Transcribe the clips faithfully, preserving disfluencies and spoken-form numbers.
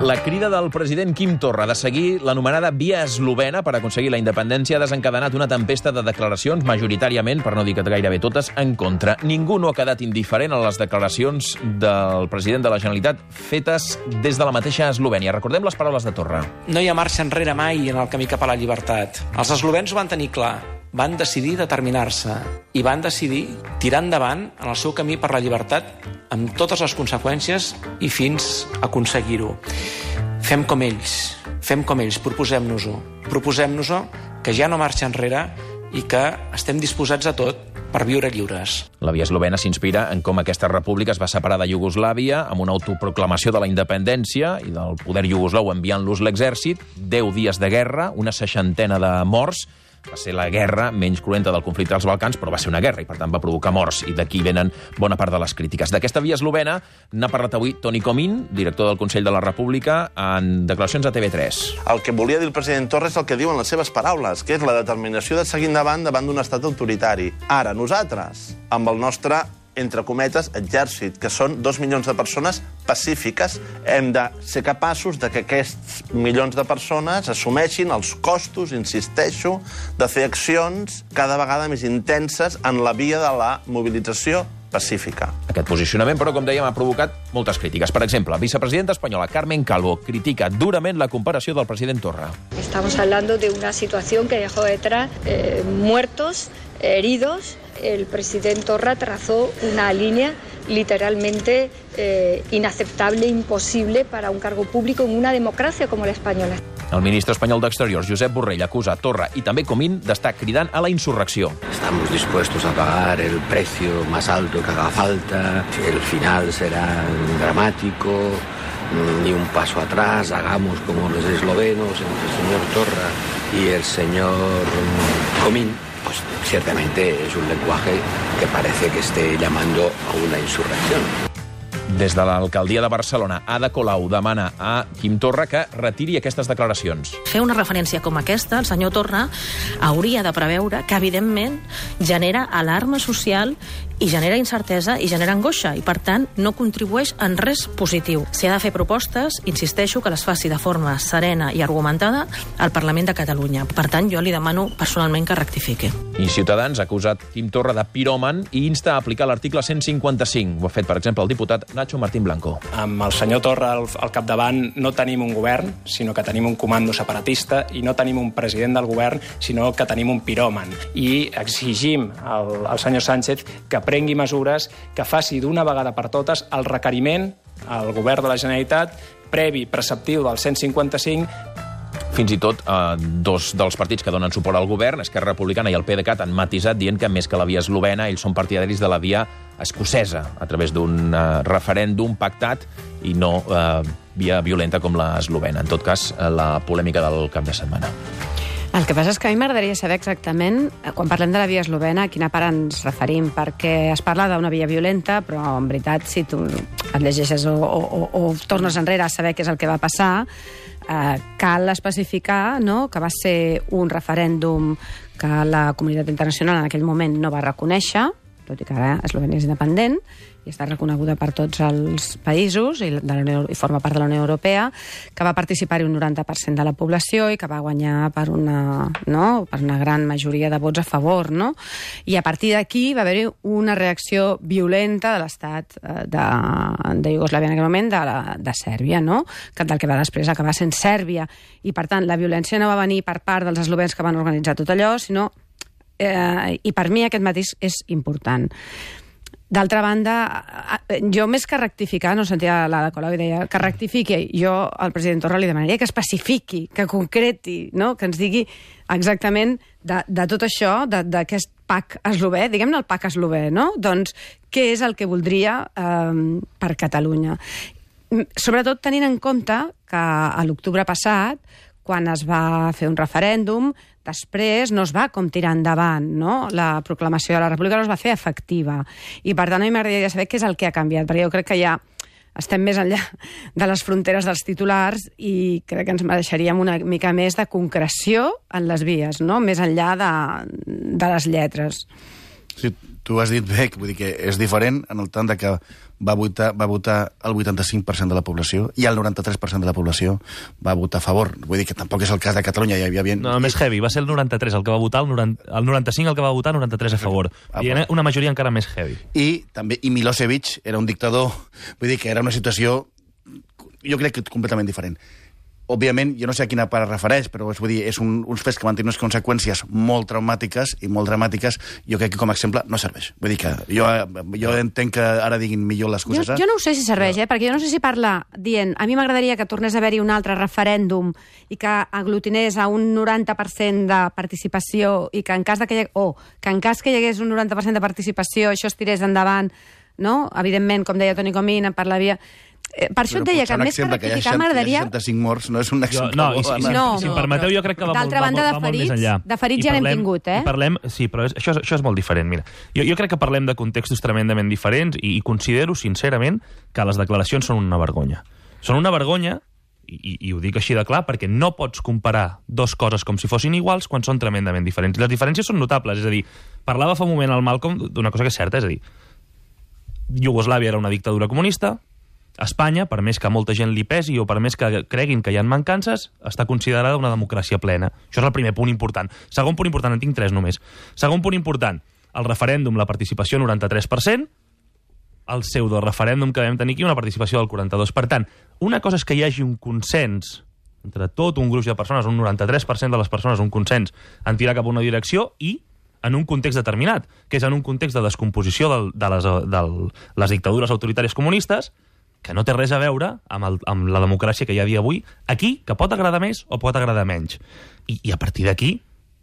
La crida del president Quim Torra de seguir l'anomenada via eslovena per aconseguir la independència ha desencadenat una tempesta de declaracions, majoritàriament, per no dir que gairebé totes, en contra. Ningú no ha quedat indiferent a les declaracions del president de la Generalitat fetes des de la mateixa Eslovènia. Recordem les paraules de Torra. No hi ha marxa enrere mai en el camí cap a la llibertat. Els eslovens ho van tenir clar. Van decidir determinar-se i van decidir tirar endavant en el seu camí per la llibertat amb totes les conseqüències i fins a aconseguir-ho. Fem com ells, fem com ells, proposem-nos-ho. Proposem-nos-ho, que ja no marxa enrere i que estem disposats a tot per viure lliures. La via eslovena s'inspira en com aquesta república es va separar de Iugoslàvia amb una autoproclamació de la independència i del poder iugoslau enviant-los l'exèrcit, deu dies de guerra, una seixantena de morts. Va ser la guerra menys cruenta del conflicte dels Balcans, però va ser una guerra i, per tant, va provocar morts. I d'aquí venen bona part de les crítiques. D'aquesta via eslovena n'ha parlat avui Toni Comín, director del Consell de la República, en declaracions a T V tres. El que volia dir el president Torra és el que diuen les seves paraules, que és la determinació de seguir endavant davant d'un estat autoritari. Ara, nosaltres, amb el nostre entre cometes, exèrcit, que són dos milions de persones pacífiques, hem de ser capaços de que aquests milions de persones assumeixin els costos, insisteixo, de fer accions cada vegada més intenses en la via de la mobilització pacífica. Aquest posicionament, però, com dèiem, ha provocat moltes crítiques. Per exemple, la vicepresidenta espanyola Carmen Calvo critica durament la comparació del president Torra. Estamos hablando de una situación que dejó detrás eh, muertos, heridos. El presidente Torra trazó una línea literalmente eh, inaceptable, imposible para un cargo público en una democracia como la española. El ministre espanyol d'Exteriors, Josep Borrell, acusa Torra i també Comín d'estar cridant a la insurrecció. Estamos dispuestos a pagar el precio más alto que haga falta, el final será dramático, ni un paso atrás, hagamos como los eslovenos, entre el señor Torra y el señor Comín. Pues ciertamente es un lenguaje que parece que esté llamando a una insurrección. Des de l'alcaldia de Barcelona, Ada Colau demana a Quim Torra que retiri aquestes declaracions. Fer una referència com aquesta, el senyor Torra hauria de preveure que, evidentment, genera alarma social i genera incertesa i genera angoixa, i, per tant, no contribueix en res positiu. Si ha de fer propostes, insisteixo que les faci de forma serena i argumentada al Parlament de Catalunya. Per tant, jo li demano personalment que rectifiqui. I Ciutadans ha acusat Quim Torra de piròman i insta a aplicar l'article cent cinquanta-cinc. Ho ha fet, per exemple, el diputat Nacho Martín Blanco. Amb el senyor Torra al, al capdavant no tenim un govern, sinó que tenim un comando separatista, i no tenim un president del govern, sinó que tenim un piròman. I exigim al, al senyor Sánchez que prengui mesures, que faci d'una vegada per totes el requeriment al govern de la Generalitat previ preceptiu del cent cinquanta-cinc. Fins i tot eh, dos dels partits que donen suport al govern, Esquerra Republicana i el PDeCAT, han matisat dient que més que la via eslovena, ells són partidaris de la via escocesa, a través d'un eh, referèndum pactat i no eh, via violenta com la eslovena. En tot cas, eh, la polèmica del cap de setmana. El que passa és que a mi m'agradaria saber exactament, quan parlem de la via eslovena, a quina part ens referim, perquè es parla d'una via violenta, però en veritat, si tu et llegeixes o, o, o tornes enrere a saber què és el que va passar, eh, cal especificar, no?, que va ser un referèndum que la comunitat internacional en aquell moment no va reconèixer, tot i que ara Eslovènia és independent i està reconeguda per tots els països i, de la Unió, i forma part de la Unió Europea, que va participar-hi un noranta per cent de la població i que va guanyar per una, no? per una gran majoria de vots a favor. No? I a partir d'aquí va haver-hi una reacció violenta de l'estat de, de Iugoslàvia en aquell moment, de, la, de Sèrbia, no? que del que va després acabar sent Sèrbia. I, per tant, la violència no va venir per part dels eslovens que van organitzar tot allò, sinó Eh, i per mi aquest matís és important. D'altra banda, jo més que rectificar, no sentia l'Ada Colau i deia que rectifiqui, jo al president Torra li demanaria que especifiqui, que concreti, no? que ens digui exactament de, de tot això, d'aquest PAC eslové, diguem-ne el PAC eslové, no? Doncs què és el que voldria eh, per Catalunya. Sobretot tenint en compte que a l'octubre passat, quan es va fer un referèndum, després no es va com tirar endavant, no? La proclamació de la República no es va fer efectiva. I, per tant, a mi m'agradaria saber què és el que ha canviat, perquè jo crec que ja estem més enllà de les fronteres dels titulars i crec que ens mereixeríem una mica més de concreció en les vies, no? Més enllà de, de les lletres. Sí, tu has dit bé, vull dir que és diferent en el tant de que va votar, va votar el vuitanta-cinc per cent de la població i el noranta-tres per cent de la població va votar a favor. Vull dir que tampoc és el cas de Catalunya. Hi havia... No, més heavy. Va ser el noranta-tres el que va votar, el, noranta, el noranta-cinc el que va votar, el noranta-tres a favor. I una majoria encara més heavy. I també i Milosevic era un dictador. Vull dir que era una situació, jo crec que completament diferent. Òbviament, jo no sé a quina part es refereix, però vull dir, és un, uns fets que van tenir unes conseqüències molt traumàtiques i molt dramàtiques. Jo crec que com a exemple no serveix. Vull dir que jo, jo entenc que ara diguin millor les coses. Jo, jo no ho sé si serveix, eh? Perquè jo no sé si parla dient a mi m'agradaria que tornés a haver-hi un altre referèndum i que aglutinés a un noranta per cent de participació i que en cas de que hi ha... oh, que en cas que hi hagués un noranta per cent de participació això es tirés endavant, no? Evidentment, com deia Toni Comín, per la via... Eh, per això et deia que més que rectificar m'agradaria... seixanta-cinc morts no és un exemple... No, i, i, si, no, si em permeteu, jo crec que va, d'altra molt, banda, va, va, va molt més enllà. De ferits ja n'hem tingut, eh? I parlem, sí, però és, això, això és molt diferent, mira. Jo, jo crec que parlem de contextos tremendament diferents i, i considero, sincerament, que les declaracions són una vergonya. Són una vergonya, i, i, i ho dic així de clar, perquè no pots comparar dos coses com si fossin iguals quan són tremendament diferents. I les diferències són notables, és a dir, parlava fa un moment al Malcolm d'una cosa que és certa, és a dir, Iugoslàvia era una dictadura comunista, Espanya, per més que molta gent li pesi o per més que creguin que hi ha mancances, està considerada una democràcia plena. Això és el primer punt important. Segon punt important, en tinc tres només. Segon punt important, el referèndum, la participació noranta-tres per cent, el pseudo-referèndum que vam tenir aquí, una participació del quaranta-dos per cent. Una cosa és que hi hagi un consens entre tot un gruix de persones, un noranta-tres per cent de les persones, un consens en tirar cap a una direcció i en un context determinat, que és en un context de descomposició del, de, les, de les dictadures autoritàries comunistes, que no té res a veure amb, el, amb la democràcia que hi ha a dia avui, aquí, que pot agradar més o pot agradar menys. I, i a partir d'aquí,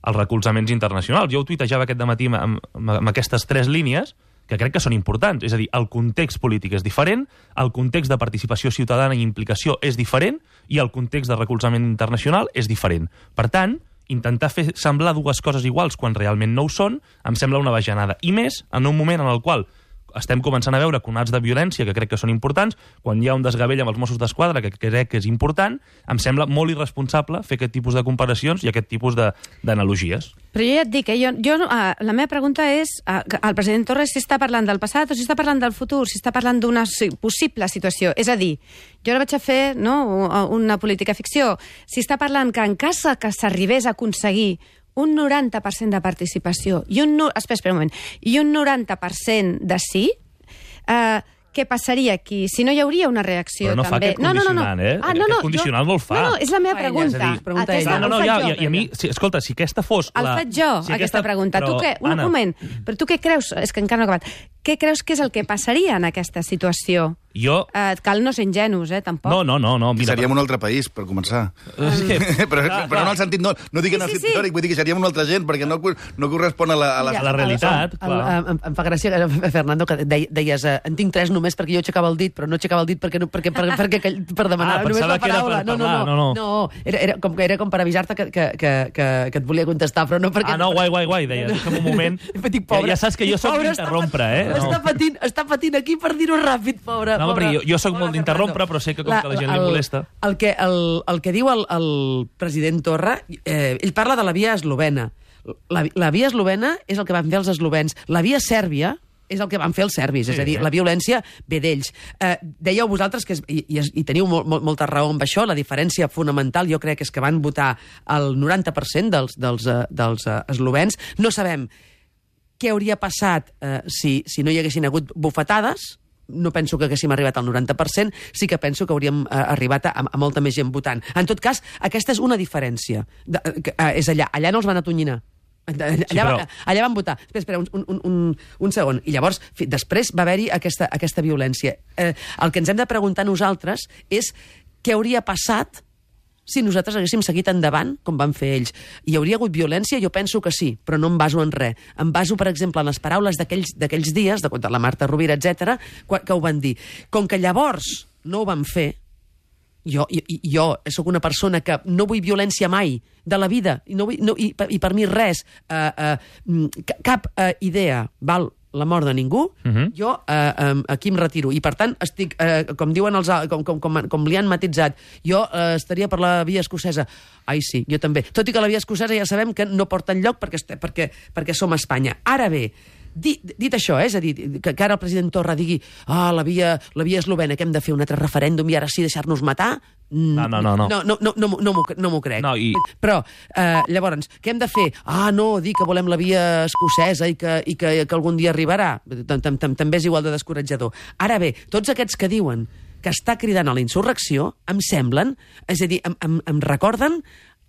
els recolzaments internacionals. Jo ho tuitejava aquest dematí amb, amb, amb aquestes tres línies, que crec que són importants. És a dir, el context polític és diferent, el context de participació ciutadana i implicació és diferent, i el context de recolzament internacional és diferent. Per tant, intentar fer semblar dues coses iguals quan realment no ho són, em sembla una bajanada. I més en un moment en el qual estem començant a veure conats de violència que crec que són importants, quan hi ha un desgavell amb els Mossos d'Esquadra, que crec que és important, em sembla molt irresponsable fer aquest tipus de comparacions i aquest tipus d'analogies. Però jo ja et dic, eh, jo, jo, uh, la meva pregunta és, uh, el president Torres si està parlant del passat o si està parlant del futur, si està parlant d'una possible situació. És a dir, jo ara vaig a fer no, una política ficció. Si està parlant que en cas que s'arribés a aconseguir un noranta per cent de participació i un, no... espera, espera un moment, i un noranta per cent de sí, eh, què passaria aquí? Si no hi hauria una reacció, també... Però no també. fa aquest condicionant, no, no, no. eh? Ah, no, no, aquest condicional jo... no el fa. No, no, és la meva pregunta. Dir, aquesta, no, no, no, ja, i, i a mi, si, escolta, si aquesta fos... El la... faig jo, si aquesta, aquesta pregunta. Però, tu què... Un Anna... moment, però tu què creus? És que encara no he acabat. Què creus que és el que passaria en aquesta situació? Jo... Eh, cal no ser ingenus, eh, tampoc. No, no, no. no mira, seríem un altre país, per començar. És que... però, clar, però clar. no en el sentit, no, no dic en el sí, sí, sentit teòric, vull dir que seríem una altra gent, perquè no, no correspon a la, a la... a la realitat, el, el, el, em, em fa gràcia, Fernando, que deies eh, en tinc tres només perquè jo aixecava el dit, però no aixecava el dit perquè, no, perquè, per, perquè, perquè, per demanar ah, només la que era paraula. per no, no, parlar, no, no, no. no era, era, com, era com per avisar-te que, que, que, que, que et volia contestar, però no perquè... Ah, no, guai, guai, guai, deia, deixa'm un moment. Dic, pobre, ja, ja saps que jo soc d'interrompre, eh? No. Està, patint, està patint aquí per dir-ho ràpid, pobre. No, pobre, perquè jo, jo soc molt d'interrompre, però sé que com la, que la gent el, li molesta. El que, el, el que diu el, el president Torra, eh, ell parla de la via eslovena. La, la via eslovena és el que van fer els eslovens. La via sèrbia és el que van fer els serbis, sí, és a dir, la violència ve d'ells. Eh, dèieu vosaltres, que és, i, i, i teniu molt, molt, molta raó amb això, la diferència fonamental jo crec és que van votar el noranta per cent dels, dels, uh, dels uh, eslovens. No sabem què hauria passat eh, si, si no hi haguessin hagut bufetades. No penso que haguéssim arribat al noranta per cent, sí que penso que hauríem eh, arribat a, a molta més gent votant. En tot cas, aquesta és una diferència. De, que, eh, és allà, allà no els van atonyinar. Allà, sí, però... allà van votar. Espera, espera, un, un, un, un segon. I llavors, fi, després va haver-hi aquesta, aquesta violència. Eh, el que ens hem de preguntar nosaltres és què hauria passat si nosaltres haguéssim seguit endavant, com van fer ells. Hi hauria hagut violència? Jo penso que sí, però no em baso en res. Em baso, per exemple, en les paraules d'aquells dies, de, de la Marta Rovira, etcètera, que ho van dir. Com que llavors no ho van fer, jo, jo, jo sóc una persona que no vull violència mai de la vida, i, no vull, no, i, i per mi res, uh, uh, cap uh, idea val la mort de ningú, uh-huh. jo eh, eh, aquí em retiro. I, per tant, estic, eh, com diuen els, com, com, com, com li han matitzat, jo eh, estaria per la via escocesa. Ai, sí, jo també. Tot i que la via escocesa ja sabem que no porta enlloc perquè, perquè, perquè som a Espanya. Ara bé, Dit, dit això, eh, és a dir, que, que ara el president Torra digui ah, la via, la via eslovena, que hem de fer un altre referèndum i ara sí deixar-nos matar... No, no, no. No, no, no, no, no, no m'ho no m'ho crec. No, i... Però, eh, llavors, què hem de fer? Ah, no, dir que volem la via escocesa i que, i que, que algun dia arribarà. També és igual de descoratjador. Ara bé, tots aquests que diuen que està cridant a la insurrecció, em semblen, és a dir, em, em, em recorden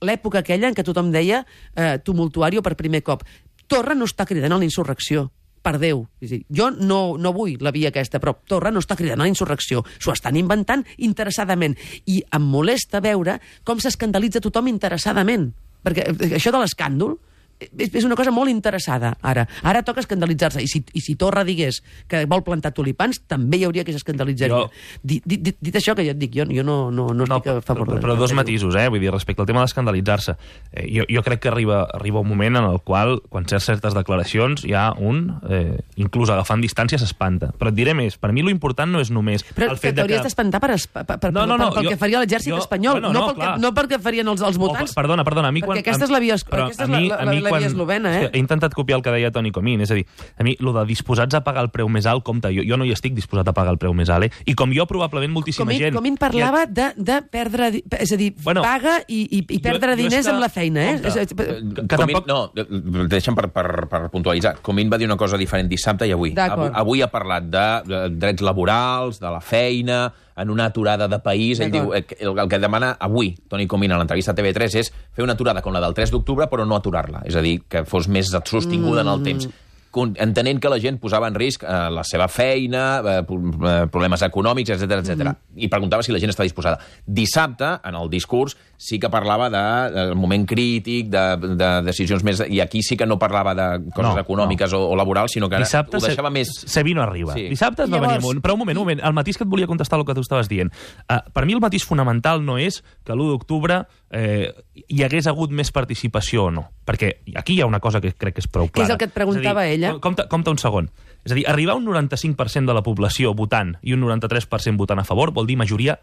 l'època aquella en què tothom deia eh, tumultuari per primer cop. Torra no està cridant a la insurrecció, per Déu. És a dir, jo no, no vull la via aquesta, però Torra no està cridant a la insurrecció. S'ho estan inventant interessadament. I em molesta veure com s'escandalitza tothom interessadament. Perquè això de l'escàndol és, és una cosa molt interessada, ara. Ara toca escandalitzar-se. I si, i si Torra digués que vol plantar tulipans, també hi hauria qui s'escandalitzaria. Jo... Dit, dit, dit això que jo et dic, jo, jo no, no, no estic no, a favor però, però dos matisos, eh? Vull dir, respecte al tema d'escandalitzar-se. Eh, jo, jo crec que arriba, arriba un moment en el qual, quan certs certes declaracions, hi ha un, eh, inclús agafant distància, s'espanta. Però et diré més, per mi lo important no és només però el fet que t'hauries de que... d'espantar per, per, per, no, no, no, pel jo, que faria l'exèrcit jo, espanyol, bueno, no, no, pel que, no pel que farien els, els votants. Oh, perdona, perdona, a mi perquè quan... aquesta és la via, aquesta és la, la, la, la via eslovena, eh? He intentat copiar el que deia Toni Comín, és a dir, a mi, lo de disposats a pagar el preu més alt, compte, jo, jo no hi estic disposat a pagar el preu més alt, eh? I com jo, probablement, moltíssima Comín, gent... Comín parlava de, de perdre... És a dir, bueno, paga i, i, i perdre jo, jo diners que, amb la feina, eh? Compte, és, que, que Comín, tampoc... No, deixa'm per, per, per puntualitzar. Comín va dir una cosa diferent dissabte i avui. Avui, avui ha parlat de, de drets laborals, de la feina, en una aturada de país. Ell diu, el, el que demana avui Toni Comín a l'entrevista a T V tres és fer una aturada com la del tres d'octubre, però no aturar-la. És a dir, que fos més sostinguda mm. en el temps. Entenent que la gent posava en risc eh, la seva feina, eh, problemes econòmics, etcètera, etcètera. Mm. I preguntava si la gent està disposada. Dissabte, en el discurs, sí que parlava del de, moment crític, de, de decisions més... I aquí sí que no parlava de coses no, econòmiques no. O, o laborals, sinó que dissabte ho deixava se, més... Sevino arriba. Sí. Dissabte es va Llavors... venir amunt. Però un moment, un moment, el matís que et volia contestar el que tu estaves dient. Uh, per mi el matís fonamental no és que l'u d'octubre eh, hi hagués hagut més participació o no. Perquè aquí hi ha una cosa que crec que és prou clara. Què és el que et preguntava ell? Compte, compte un segon. És a dir, arribar a un noranta-cinc per cent de la població votant i un noranta-tres per cent votant a favor vol dir majoria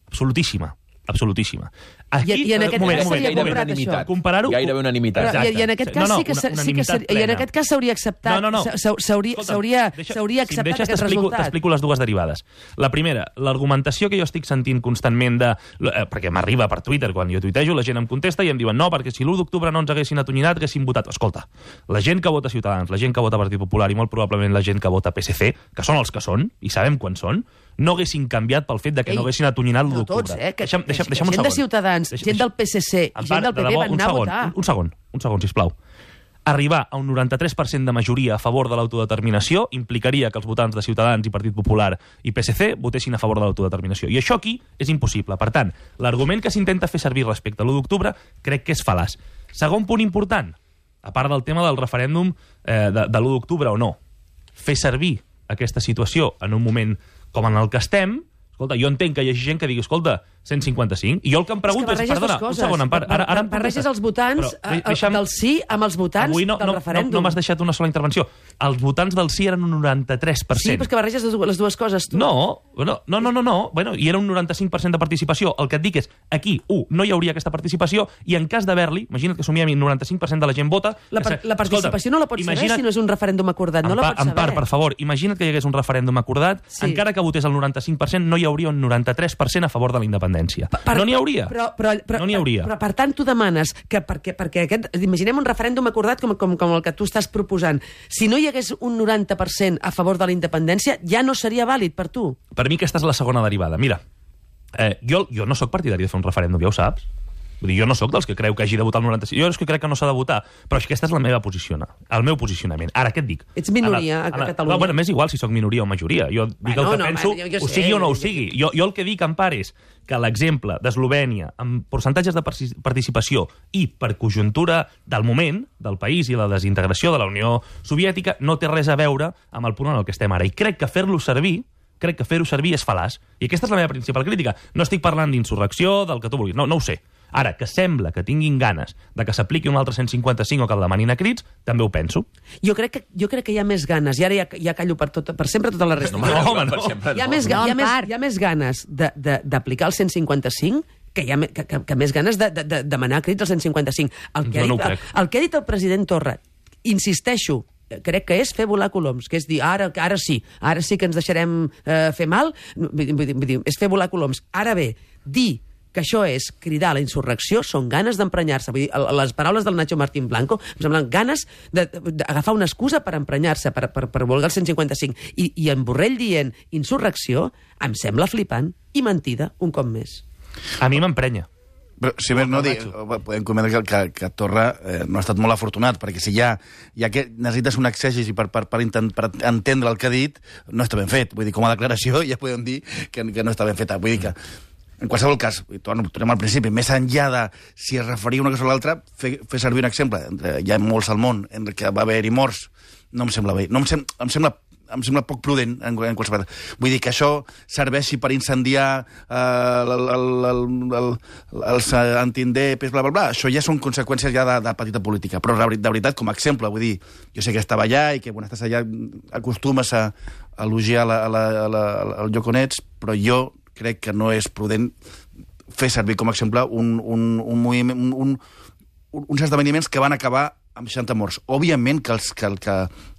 absolutíssima. Absolutíssima. Aquí, I, i en aquest moment, cas moment, seria moment, comparat, això. Comparar-ho... Gairebé unanimitat. Però, i, I en aquest cas no, no, sí que, una, sí que ser, i en aquest cas s'hauria acceptat, no, no, no. s'hauria acceptat si aquest resultat. T'explico les dues derivades. La primera, l'argumentació que jo estic sentint constantment de... Eh, perquè m'arriba per Twitter, quan jo tuitejo, la gent em contesta i em diuen no, perquè si l'u d'octubre no ens haguessin atonyinat, haguessin votat. Escolta, la gent que vota Ciutadans, la gent que vota Partit Popular i molt probablement la gent que vota P S C, que són els que són, i sabem quan són, no haguessin canviat pel fet de que Ei, no haguessin atonyinat l'u d'octubre. No tots, eh? Que, deixa'm, deixa'm, deixa'm gent un segon. de Ciutadans, Deixa, gent del P S C i gent del P P van anar a votar. Un, un segon, un segon, sisplau. Arribar a un noranta-tres per cent de majoria a favor de l'autodeterminació implicaria que els votants de Ciutadans i Partit Popular i P S C votessin a favor de l'autodeterminació. I això aquí és impossible. Per tant, l'argument que s'intenta fer servir respecte a l'u d'octubre crec que és fal·laç. Segon punt important, a part del tema del referèndum eh, de, de l'u d'octubre o no, fer servir aquesta situació en un moment com en el que estem. Escolta, jo entenc que hi hagi gent que digui, escolta, cent cinquanta-cinc, i jo el que em pregunto és, és perdona, un segon, en part, ara, ara em barreges els votants però, deixa'm... del sí amb els votants Avui no, del no, referèndum. No, no m'has deixat una sola intervenció. Els votants del sí eren un noranta-tres per cent. Sí, però és que barreges les dues coses, tu. No, no, no, no, no, no. Bueno, i era un noranta-cinc per cent de participació. El que et dic és, aquí, u, no hi hauria aquesta participació, i en cas d'haver-li, imagina't que assumíem el noranta-cinc per cent de la gent vota... La, par la participació no la pots saber si no és un referèndum acordat, no la pots saber. En part, per favor, imagina't que hi hagués un referèndum acordat, sí. Encara que votés el noranta-cinc per cent, no hi hauria un noranta-tres per cent a favor de la independència. Per, no n'hi hauria. Però, però, però, no n'hi hauria. Però, per tant, tu demanes que perquè, perquè aquest... Imaginem un referèndum acordat com, com, com el que tu estàs proposant. Si no hi hagués un noranta per cent a favor de la independència, ja no seria vàlid per tu. Per mi aquesta és la segona derivada. Mira, eh, jo, jo no sóc partidari de fer un referèndum, ja ho saps. Vull dir, jo no sóc dels que creu que hagi de votar el noranta-cinc. Jo és que crec que no s'ha de votar, però aquesta és la meva posició, el meu posicionament. Ara, què et dic? Ets minoria a, a, a Catalunya. No, bueno, m'és igual si sóc minoria o majoria. Jo dic bueno, el que no, penso, man, ho sigui o no ho sigui. Jo, jo el que dic, en part, és que l'exemple d'Eslovènia, amb percentatges de participació i per conjuntura del moment del país i la desintegració de la Unió Soviètica, no té res a veure amb el punt en el que estem ara. I crec que fer-lo servir crec que fer-ho servir és fal·laç. I aquesta és la meva principal crítica. No estic parlant d'insurrecció, del que tu vulguis. No, no ho sé. Ara, que sembla que tinguin ganes de que s'apliqui un altre cent cinquanta-cinc o que el demanin a crits, també ho penso. Jo crec que, jo crec que hi ha més ganes, i ara ja, ja callo per, tot, per sempre tota la resta. No, no, home, no. Hi ha més, hi ha més, hi ha més ganes d'aplicar el cent cinquanta-cinc que hi ha que, que, que més ganes de, de, de demanar crits al cent cinquanta-cinc. El que, ha dit, el, el que ha dit el president Torra, insisteixo, crec que és fer volar coloms, que és dir, ara, ara sí, ara sí que ens deixarem eh, fer mal, vull dir, vull dir, és fer volar coloms. Ara bé, dir que això és cridar a la insurrecció són ganes d'emprenyar-se. Vull dir, les paraules del Nacho Martín Blanco em semblen ganes d'agafar una excusa per emprenyar-se, per, per, per voler el cent cinquanta-cinc. I, I en Borrell dient insurrecció em sembla flipant i mentida, un cop més. A mi m'emprenya. Però, si més no, dir, podem comentar que, que, que Torra eh, no ha estat molt afortunat, perquè si ja, ja que necessites un exègesi per, per, per, intent, per entendre el que ha dit, no està ben fet. Vull dir, com a declaració ja podem dir que, que no està ben feta. Vull dir que, en qualsevol cas, tornem al principi, més enllà de si es referia una cosa o l'altra, fer, fer servir un exemple. Hi ha molts al món en què va haver-hi morts. No em sembla bé. No em, sem em sembla em sembla poc prudent en, en qualsevol. Vull dir que això serveixi per incendiar eh, el, el, el, el, els antindepes, bla, bla, bla. Això ja són conseqüències ja de, de petita política. Però de, de veritat, com a exemple, vull dir, jo sé que estava allà i que quan estàs allà acostumes a, a elogiar la, la, la, el lloc on ets, però jo crec que no és prudent fer servir com a exemple un, un, un moviment, un, un, uns esdeveniments que van acabar amb seixanta morts. Òbviament que, els, que, que,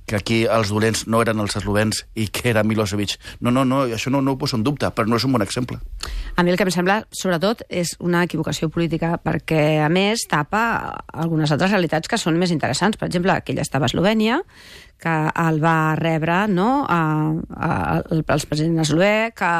que aquí els dolents no eren els eslovens i que era Milosevic. No, no, no, això no, no ho poso en dubte, però no és un bon exemple. A mi el que em sembla, sobretot, és una equivocació política, perquè, a més, tapa algunes altres realitats que són més interessants. Per exemple, que ell estava a Eslovènia, que el va rebre, no?, a, a, el, el president eslové, que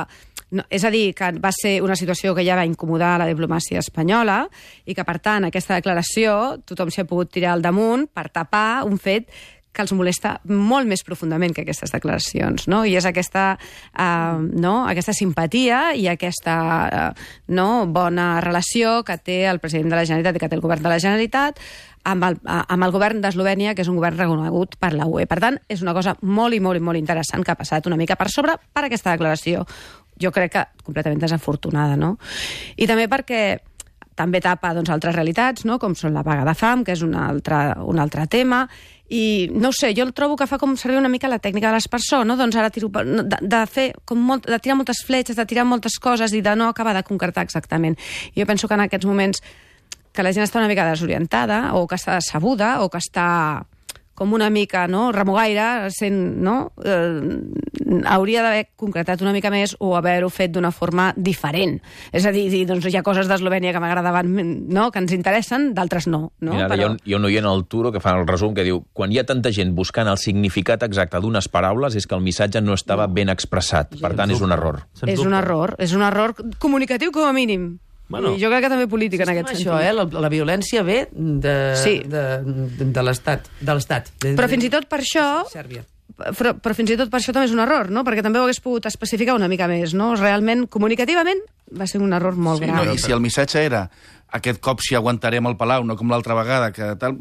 no, és a dir, que va ser una situació que ja va incomodar la diplomàcia espanyola i que, per tant, aquesta declaració tothom s'hi ha pogut tirar al damunt per tapar un fet que els molesta molt més profundament que aquestes declaracions, no? I és aquesta, uh, no? aquesta simpatia i aquesta uh, no? bona relació que té el president de la Generalitat i que té el govern de la Generalitat amb el, amb el govern d'Eslovènia, que és un govern reconegut per la U E. Per tant, és una cosa molt i molt i molt interessant que ha passat una mica per sobre per aquesta declaració. Jo crec que completament desafortunada, no? I també perquè també tapa doncs, altres realitats, no? Com són la vaga de fam, que és un altre, un altre tema, i no ho sé, jo el trobo que fa com servir una mica la tècnica de l'aspersor, no? Doncs ara tiro, de, de fer com molt, de tirar moltes fletxes, de tirar moltes coses i de no acabar de concretar exactament. I jo penso que en aquests moments que la gent està una mica desorientada, o que està decebuda, o que està com una mica, no?, remugaire, sent, no?, eh, hauria d'haver concretat una mica més o haver-ho fet d'una forma diferent. És a dir, doncs hi ha coses d'Eslovènia que m'agradaven, no?, que ens interessen, d'altres no. no? Mira, Però... hi, ha un, hi ha un oient al Turo que fa el resum que diu: quan hi ha tanta gent buscant el significat exacte d'unes paraules és que el missatge no estava ben expressat. Per tant, és un error. És un error, és un error comunicatiu com a mínim. Bueno, jo crec que també política en aquest sentit. Això, eh? la, la violència ve de, sí. de, de, de l'Estat. De l'Estat. Però fins i tot per això... Sèrbia. Però, però fins i tot per això també és un error, no? Perquè també ho hagués pogut especificar una mica més, no? Realment, comunicativament, va ser un error molt sí, gran. No, I si el missatge era aquest cop si aguantarem el Palau, no com l'altra vegada, que tal,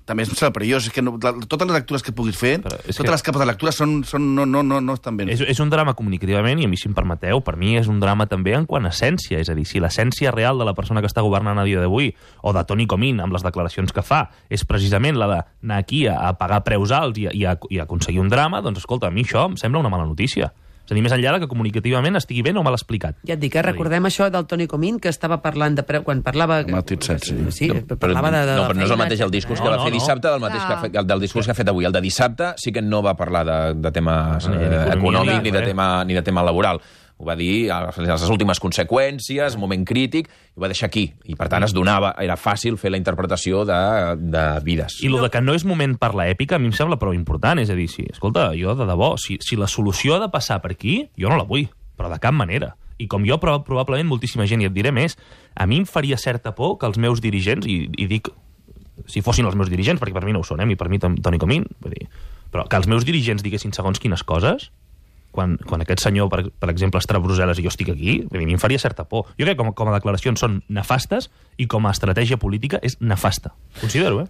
també és perillós. És que no, la, totes les lectures que puguis fer, totes que... les capes de lectura són, són, no, no, no, no estan ben. És, és un drama comunicativament, i a mi, si em permeteu, per mi és un drama també en quant a essència. És a dir, si l'essència real de la persona que està governant a dia d'avui, o de Toni Comín, amb les declaracions que fa, és precisament la d'anar aquí a, a pagar preus alts i a, i, a, i a aconseguir un drama, doncs, escolta, a mi això em sembla una mala notícia. És a dir, més enllà que comunicativament estigui ben o mal explicat. Ja et dic, eh? Recordem això del Toni Comín, que estava parlant de... Quan parlava... Matit set, sí. Sí, parlava de... de no, però no és el mateix el discurs no, que va no, fer dissabte del, mateix que ha fet, del discurs que ha fet avui. El de dissabte sí que no va parlar de, de tema eh, econòmic ni de tema, ni de tema laboral. Ho va dir a les últimes conseqüències, moment crític, i ho va deixar aquí. I, per tant, es donava, era fàcil fer la interpretació de, de vides. I el de que no és moment per l'èpica, a mi em sembla prou important. És a dir, si, escolta, jo de debò, si, si la solució ha de passar per aquí, jo no la vull, però de cap manera. I com jo, probablement, moltíssima gent, i et diré més, a mi em faria certa por que els meus dirigents, i, i dic, si fossin els meus dirigents, perquè per mi no ho són, eh, i per mi Toni Comín, vull dir, però que els meus dirigents diguessin segons quines coses, quan, quan aquest senyor, per, per exemple, està a Brussel·les i jo estic aquí, a mi em faria certa por. Jo crec que com, com a declaracions són nefastes i com a estratègia política és nefasta. Considero, eh?